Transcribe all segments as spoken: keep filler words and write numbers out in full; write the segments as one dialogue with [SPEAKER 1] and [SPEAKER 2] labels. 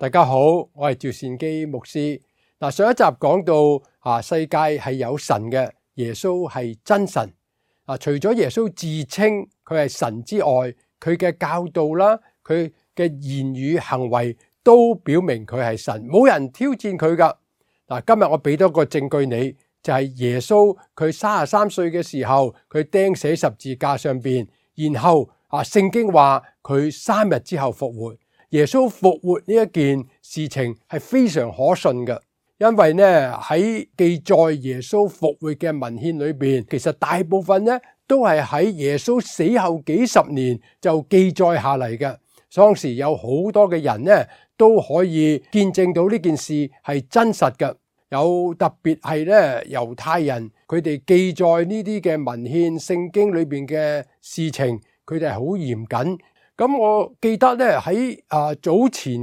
[SPEAKER 1] 大家好，我係趙善基牧師。嗱，上一集講到啊，世界係有神嘅，耶穌係真神。啊，除咗耶穌自稱佢係神之外，佢嘅教導啦，佢嘅言語行為都表明佢係神，冇人挑戰佢噶。嗱，今日我俾多個證據你，就係耶穌佢三十三歲嘅時候，佢釘死十字架上邊，然後啊，聖經話佢三日之後復活。耶穌復活呢一件事情係非常可信嘅，因為呢喺記載耶穌復活嘅文獻裏邊，其實大部分呢都係喺耶穌死後幾十年就記載下嚟嘅。當時有好多嘅人呢都可以見證到呢件事係真實嘅，有特別係呢猶太人，佢哋記載呢啲嘅文獻聖經裏邊嘅事情，佢哋係好嚴謹。咁我記得咧喺啊早前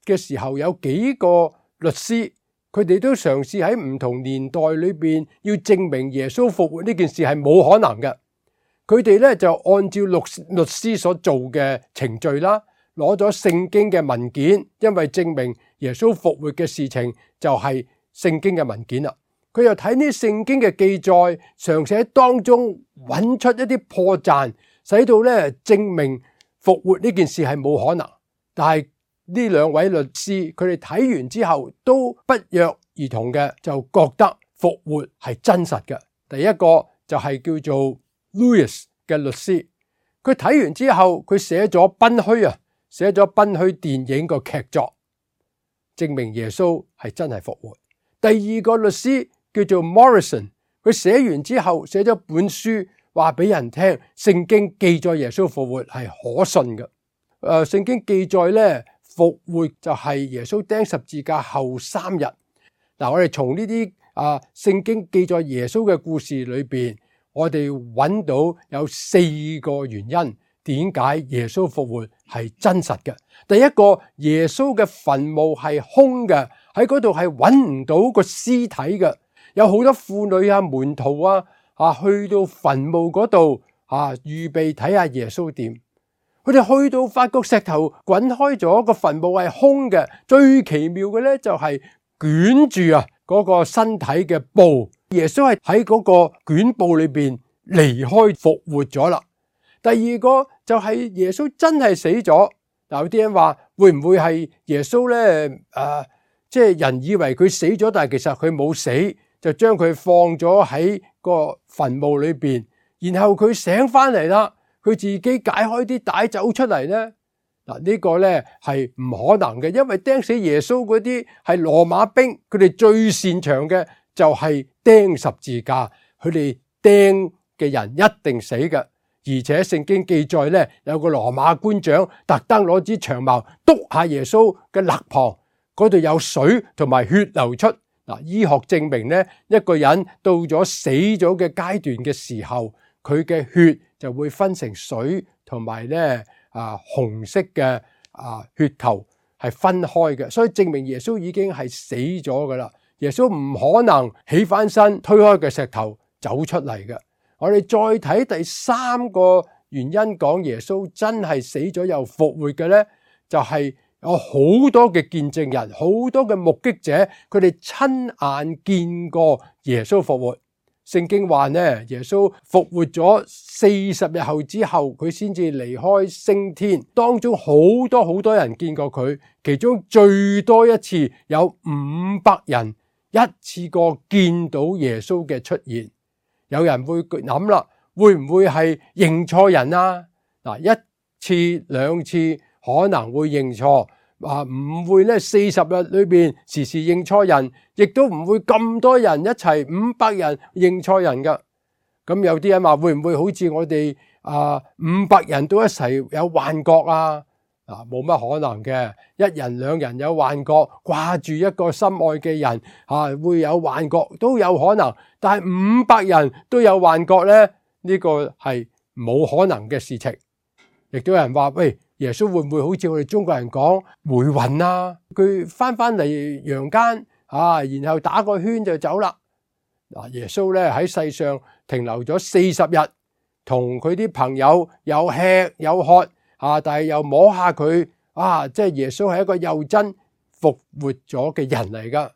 [SPEAKER 1] 嘅時候，有幾個律師，佢哋都嘗試喺唔同年代裏邊要證明耶穌復活呢件事係冇可能嘅。佢哋咧就按照律律師所做嘅程序啦，攞咗聖經嘅文件，因為證明耶穌復活嘅事情就係聖經嘅文件啦。佢又睇呢聖經嘅記載，嘗試喺當中揾出一啲破綻，使到咧證明復活呢件事係冇可能。但係呢兩位律師佢哋睇完之後都不約而同嘅就覺得復活係真實嘅。第一個就係叫做 Louis 嘅律師，佢睇完之後佢寫咗賓虛啊，寫咗賓虛電影個劇作，證明耶穌係真係復活。第二個律師叫做 Morrison， 佢寫完之後寫咗本書，話俾人聽聖經記載耶穌復活係可信嘅。誒，聖經記載咧復活就係耶穌釘十字架後三日。嗱，我哋從呢啲啊聖經記載耶穌嘅故事裏邊，我哋揾到有四個原因，點解耶穌復活係真實嘅。第一個，耶穌嘅墳墓係空嘅，喺嗰度係揾唔到個屍體嘅。有好多婦女啊、門徒啊，啊去到墳墓嗰度啊，預備睇下耶穌點。佢哋去到發覺石頭滾開咗，個墳墓係空嘅。最奇妙嘅咧就係捲住啊嗰個身體嘅布，耶穌係喺嗰個捲布裏邊離開復活咗啦。第二個就係耶穌真係死咗。嗱，有啲人話會唔會係耶穌咧？誒、呃，即係人以為佢死咗，但係其實佢冇死。就將佢放咗喺個墳墓裏邊，然後佢醒翻嚟啦，佢自己解開啲帶走出嚟咧。嗱，呢個咧係唔可能嘅，因為釘死耶穌嗰啲係羅馬兵，佢哋最擅長嘅就係釘十字架，佢哋釘嘅人一定死嘅。而且聖經記載咧，有個羅馬官長特登攞支長矛督下耶穌嘅肋旁，嗰度有水同埋血流出。嗱，醫學證明咧，一個人到咗死咗嘅階段嘅時候，佢嘅血就會分成水同埋咧啊紅色嘅啊血球係分開嘅，所以證明耶穌已經係死咗噶啦。耶穌唔可能起翻身推開嘅石頭走出嚟嘅。我哋再睇第三個原因，講耶穌真係死咗又復活嘅咧，就係、是。有好多嘅見證人，好多嘅目擊者，佢哋親眼見過耶穌復活。聖經話呢，耶穌復活咗四十日後之後，佢先至離開升天。當中好多好多人見過佢，其中最多一次有五百人一次過見到耶穌嘅出現。有人會諗啦，會唔會係認錯人啊？嗱，一次兩次。可能會認錯，啊唔會咧四十日裏邊時時認錯人，亦都唔會咁多人一齊五百人認錯人噶。咁有啲人話會唔會好似我哋啊五百人都一齊有幻覺啊？啊冇乜可能嘅，一人兩人有幻覺，掛住一個心愛嘅人啊會有幻覺都有可能，但係五百人都有幻覺咧，呢個係冇可能嘅事情。亦都有人話喂，耶穌會唔會好似我哋中國人講回魂啊？佢翻翻嚟陽間啊，然後打個圈就走啦。嗱，耶穌咧喺世上停留咗四十日，同佢啲朋友有吃有喝啊，但係又摸下佢啊，即係耶穌係一個又真復活咗嘅人嚟噶。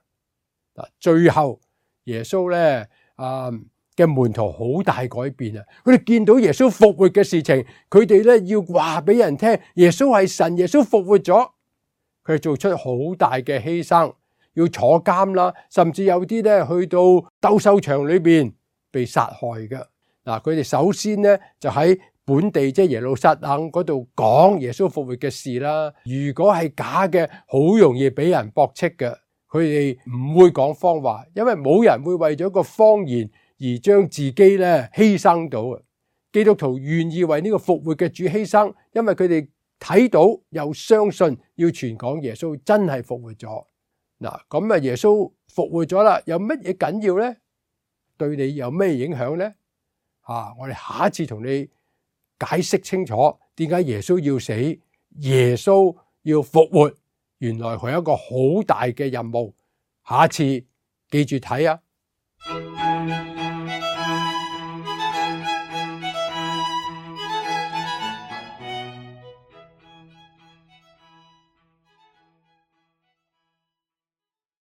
[SPEAKER 1] 嗱，最後耶穌咧啊嘅門徒好大改變啊！佢哋見到耶穌復活嘅事情，佢哋咧要話俾人聽，耶穌係神，耶穌復活咗。佢哋做出好大嘅犧牲，要坐監啦，甚至有啲咧去到鬥獸場裏邊被殺害嘅。嗱，佢哋首先咧就喺本地即係耶路撒冷嗰度講耶穌復活嘅事啦。如果係假嘅，好容易俾人駁斥嘅。佢哋唔會講謊話，因為冇人會為咗個謊言而將自己咧犧牲到啊！基督徒願意為呢個復活嘅主犧牲，因為佢哋睇到又相信，要傳講耶穌真係復活咗。嗱，咁啊耶穌復活咗啦，有乜嘢緊要呢？對你有咩影響呢？啊，我哋下一次同你解釋清楚點解耶穌要死，耶穌要復活，原來佢有一個好大嘅任務。下一次記住睇啊！